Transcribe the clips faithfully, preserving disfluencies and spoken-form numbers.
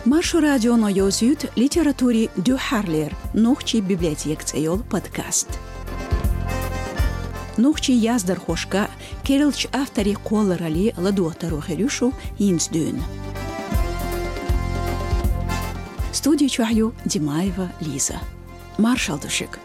Маршо радионо йовзуьйту литературин дуьххьарлера «Нохчийн библиотека» цӀе йолу подкаст. Нохчийн яздархошка, керлачу авторийн кхолларалле ладогӀа таро хир ю шу хӀинца дуьйна. Студи чохь ю Димаева Лиза. Маршалла ду шуьга.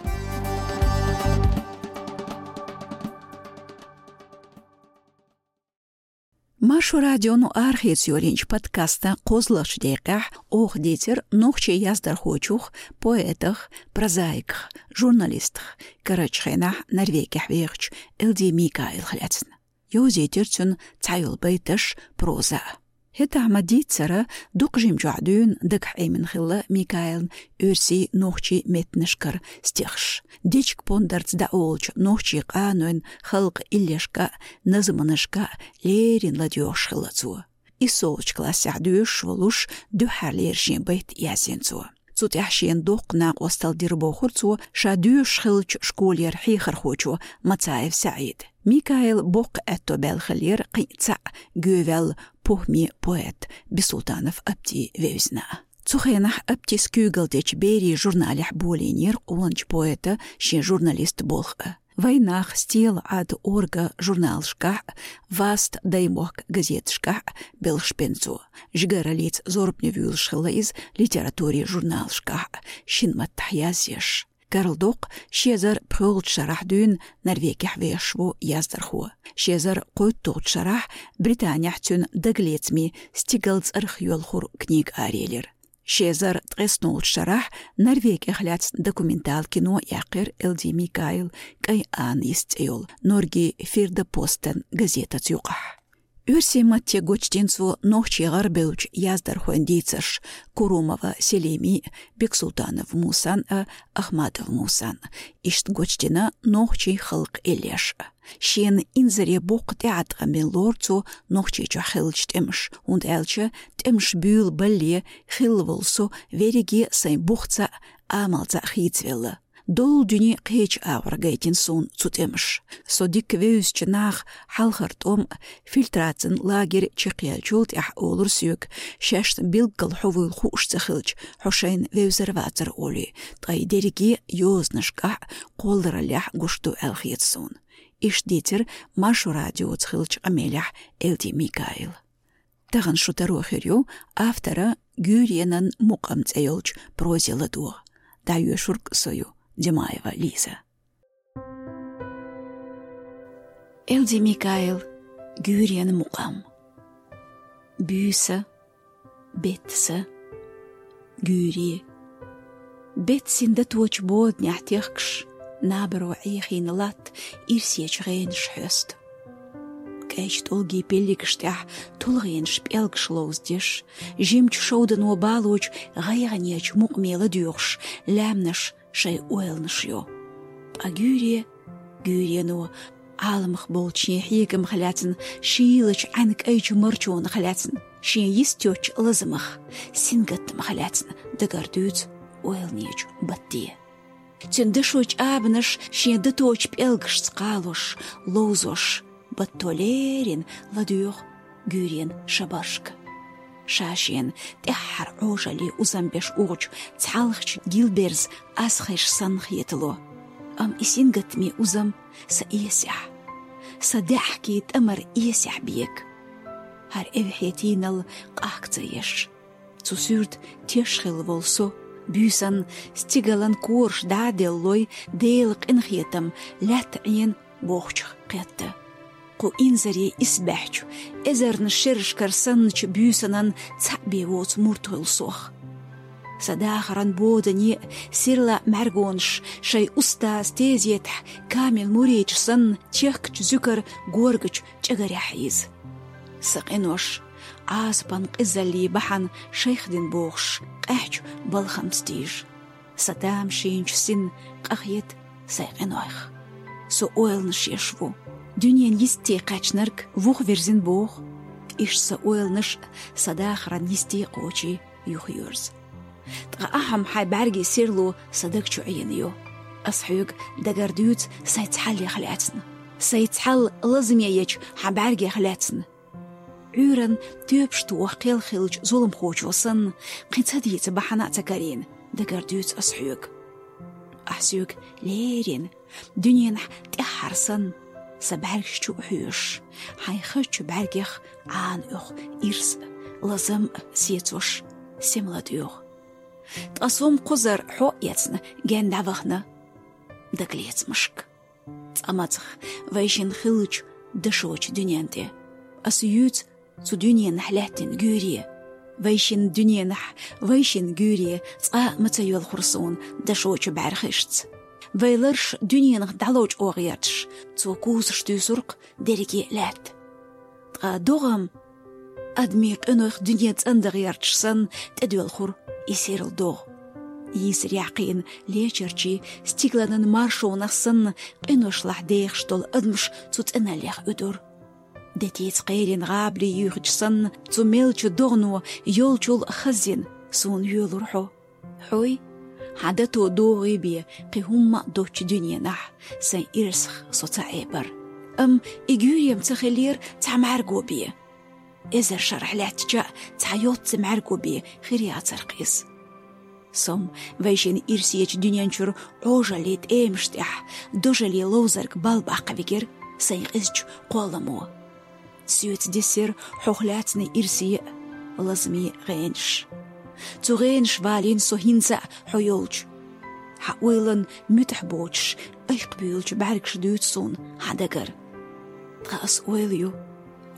Маршо радионо арахеца йолийначу подкастан кхозлагӀчу декъехь оха дийцира нохчийн яздархочух, поэтах, прозаиках, журналистах, карарчу хенахь Норвегехь вехачу Элди Микаилах лаьцна. Йовзийтира цуьнан цхьайолу байташ, проза. ХӀетахь ма-дийццара, дукха жимчохь дуьйна дагахь Ӏемина хилла Микаилан оьрсийн, нохчийн меттанашкара стихаш. Дечиг-пондарца дӀаолучу нохчийн къанойн, халкъан иллешка а, назманашка а леррина ладоьгӀуш хилла цо. ИссолгӀачу классехь доьшуш волуш, дуьххьарлера шен байт яздина цо. Цу тӀехь шена доккха накъосталла дира, бохура цо, ша доьшуш хиллачу школера хьехархочо, Мацаев СаӀида. Микаила боккха аьтто баьлла хиллера кхин а цхьаъ гӀевелла похӀма поэт Бисултанов Апти вевзина. Цу хенахь Аптис куьйгалла дечу «Берийн» журналехь болийнера къоначу поэтан шен журналистан болх а. «Вайнах», «Стелаъад», «Орга» журналашкахь а, «Васт», «Даймохк» газеташкахь а белхаш бина цо. Жигараллица зорбане вуьйлуш хилла иза литературин журналашкахь а, шина маттахь язъеш. Карладоккху, ши эзар пхоьалгӀачу шарахь дуьйна Норвегехь вехаш ву яздархо. Ши эзар кхойтталгӀачу шарахь Британехь цуьнан дагалецамийн стигалла цӀарах йоьлхура книга араелира. Ши эзар ткъеснолгӀачу шарахь Норвегех лаьцна документал кино яьккхира Элди Микаила «КӀайн Анна» йист цӀе йолу, Норгин «Фирдапостен» газетаца юкъахь. Оьрсийн матте гочдина цо нохчийн, гӀарбевллачу яздархойн дийцарш Курумова Селимин а, Бексултанов Мусан а, Ахмадов Мусан а. Иштта гочдина нохчийн халкъан иллеш а. Шена инзаре боккха тӀеӀаткъам бина лору цо Нохчийчохь хиллачу тӀемаша, хӀунда аьлча тӀемаш буьйлабале хилла волу со верриге а сайн бухца а, амалца а хийцавелла. Долу дуьне кхечу агӀор гайтина суна цу тӀемаша. Со дика вевзачу наха хьалхара тӀом а, фильтрацин лагерь чекхъяьллачул тӀаьхьа олура соьга, шаьш билггал хьо вуйла хууш ца хилча, хьо шайна вевзар вацара олий, ткъа и дерриге а йозанашкахь а, кхоллараллехь а гуш ду аьлла хета суна. Иштта дийцира Маршо радиоца хиллачу къамелехь Элди Микаила. Тахана шу таро хир ю автора «Гуьйренан мукъам» цӀе йолчу прозе ладогӀа. ДӀайоьшург со ю, Димаева Лиза. Элди Микаил, «Гуьйренан мукъам». Буьйса, беттаса, гуьйре. Беттасийн даточу боданехь техкаш, набаро Ӏехийна латта ирсечу гӀенаш хьоьсту. КӀайчу тӀулгийн пиллигаш тӀехь тулгӀенаш, пӀелгаш ловзадеш, жимачу шовдано балочу гӀайгӀанечу мукъаме ладоьгӀуш, лаьмнаш шайн ойланаш йо. Ткъа гуьйре, гуьйрено, Ӏаламах болчу шен хьегамах лаьцна, шийлачу Ӏаьнан кӀайчу марчонах лаьцна, шен йист йоцчу лазамах, сингаттамах лаьцна дагардуьйцу ойланечу батте. Цуьнан дашочу абанаш шен даточу пӀелгашца кхалош, ловзош, батто леррина ладоьгӀу гуьйренан шабаршка. Ша шена тӀаьххьара Ӏожаллин узам беш ухучу цхьалхачу гилберзан асхеш санна хетало. Амма и сингаттамийн узам сан эсехь, сан даьӀахкийн тӀамар эсехь бега. ХӀара эвхьетийнал къахка ца еш, цу суьрта теш хилла волу со, буьйсанна стигалан кораш дӀа а деллой, Делан къинхетам лаьтта Ӏена бохучух кхетта. Кху инзаре исбаьхьчу, эзарнаш шерашкара санначу буьйсанан цхьаъ бен воцу мурд хуьлу сох. Сан дахаран бодане а, сирла мӀаьргонаш шайн устазан тезетахь камил муридаш санна чехкачу зуькар горгачу чӀагарехь хьийза. Сан къинош, Ӏазапан къизаллин бахьана шайх дина бохуш, къаьхьачу балхамца тийжа. Сан тамашийначу синна къахета сайн къинойх. Со ойланаш еш ву. Дуьненан йисте кхаьчнарг вуха вирзина боху. Иштта сан ойланаш а сан дахаран йисте кхочий юхайоьрзу. Ткъа ахьа-м хьайн бӀаьргийн серло сан даг чу Ӏийна ю. Ас хьоьга дагардуьйцу сайн цхьаллех лаьцна. Сайн цхьалла лазаме ечу хьан бӀаьргех лаьцна. Ӏуьйранна тоьпаш тоха кхел хиллача зуламхочо санна, кхин ца дийца бахьана а ца карийна, дагара дуьйцу ас хьоьга. Ахь соьга леррина, дуьненахь тӀаьххьара санна, сан бӀаьргаш чу а хьоьжуш, хьайн хазачу бӀаьргех Ӏана оьху ирс а, лазам а сецош, сема ладоьгӀу. Ткъа со-м кхузара хьо а эцна, генна дӀавахана дагалецамашка. Цкъа мацах, вайшинна хиллачу дашочу дуьнен тӀе. Ас юьйцу цу дуьненахь лаьттина гуьйре. Вайшинна дуьненахь, вайшинна гуьйре цкъа а ма ца йоьлхура суна дашочу бӀаьрхишца. Вай ларш дуьненах дӀаловчӀо гӀерташ, цо кузаш туьйсура-кх дерриге а лаьтта. Ткъа догӀа-м, адамийн къинойх дуьне цӀандан гӀерташ санна, тӀедоьлхура и серла догӀа. Йийсарехь кхиъна лечарчий, стигланан маршонах санна, къиношлахь дехаш долу адамаш цу цӀеналлех уьдура. Детица кхерина гӀабали юьйхича санна, цу мелча догӀано йолчул а хаззина суна йоьлура хьо. Хьой, хьан дато догӀий бен кхин хӀумма а доцчу дуьненахь, сайн ирсах со ца Ӏебара. Амма и гуьйре-м ца хиллера цхьа мӀаьрго бен. Эзар шарахь лаьттача а цхьа йоццу мӀаьрго бен хир яцара-кх иза. Со-м вайшинна ирсечу дуьнен чуьра Ӏожаллин тӀемаш тӀехь, дожаллин ловзарг балбаккха вигира сайн къизачу кхолламо. Соьца дисира хьох лаьцна ирсе а, лазаме а гӀенаш. Цу гӀенаш валийна со хӀинца а хьо йолчу. Хьан ойланна муьтӀахь боцуш, айкхбуьйлучу бӀаьргаша дуьйцу суна хьан дагара. Ткъа ас ойла ю,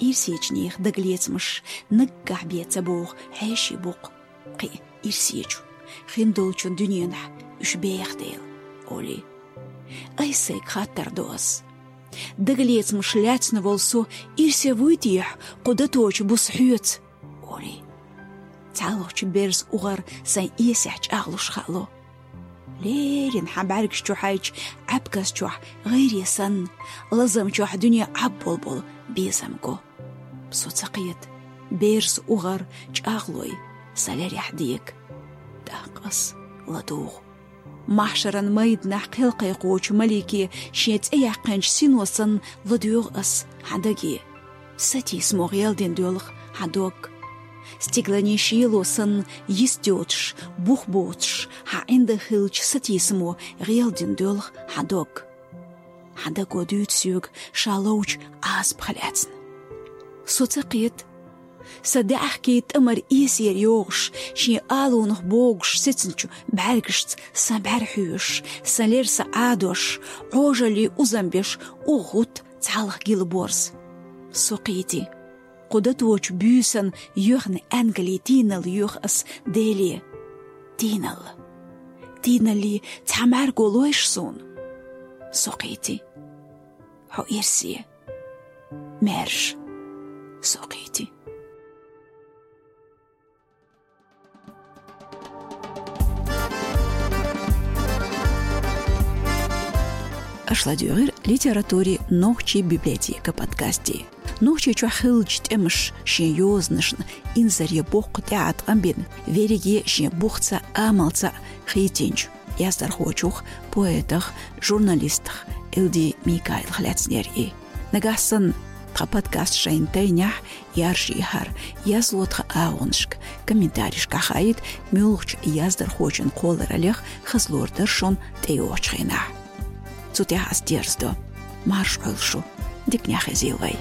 ирсечу нехан дагалецамаш наггахь бен ца богӀу хьеший бу-кх. Кхин ирсечу, хиндолчун дуьненахь уьш беха дела, олий. Айса сайга хаттар до ас. Дагалецамаш лаьцна волу со ирсе вуй техьа кху даточу буса хьоьца, олий. ЦхьалгӀачу берза угӀар сайн эсехь чӀагӀлуш хаало. Леррина хьан бӀаьргаш чу хьайчу Ӏаьпказ чохь гӀайре санна, лазам чохь дуьне Ӏабболболу безам го. Со ца кхета, берза угӀар чӀагӀлой сан лерехь дега. ТӀаккха ас ладугӀу. Махьшаран майданахь кхелкхайкхочу малике шен цӀе яьккхинчу сино санна ладоьгӀу ас хьан даге. Сатийсамо гӀелдина доьлху хьан дог. Стигланийн шело санна йист йоцуш, бух боцуш, хьан ӀиндагӀ хиллачу сатийсамо гӀелдина доьлху хьан дог. Хьан даго дуьйцу соьга ша ловчу Ӏазапах лаьцна. Со ца кхета, сан даьӀахкийн тӀамар эсера йогӀуш, шен алонах богуш сецначу бӀаьргашца сан бӀаьра хьоьжуш, сан лер сан Ӏадош, Ӏожаллин узам беш, угӀу гӀутта цхьалха гила борз. Со кхийти. Кху даточу буьйсанна йоьхна аьнгале тийналла йоьху ас Деле. Тийналла. Тийналлин цхьа мӀаьрго лойша суна. Со кхийти. Хьо ирсе. Маьрша. Со кхийти. Аша ладоьгӀира литературин «Нохчийн библиотека» подкасте. Нохчийчохь хиллачу тӀемаша шен йозанашна инзаре боккха тӀеӀаткъам бина, верриге шен бухца а, амалца а хийцинчу яздархочух, поэтах, журналистах Элди Микаилах лаьцнера и. Нагахь санна тхан подкаст шайна тайнехь, яржийхьара, язло тхан агӀонашка, комментарийшкахь хаийта, муьлххачу яздархочун кхоллараллех хаза лорадара шуна тӀейогӀучу хенахь. Цу тӀехь ас дерзадо. Марша Ӏойла шу. Диканехь хезийла вай.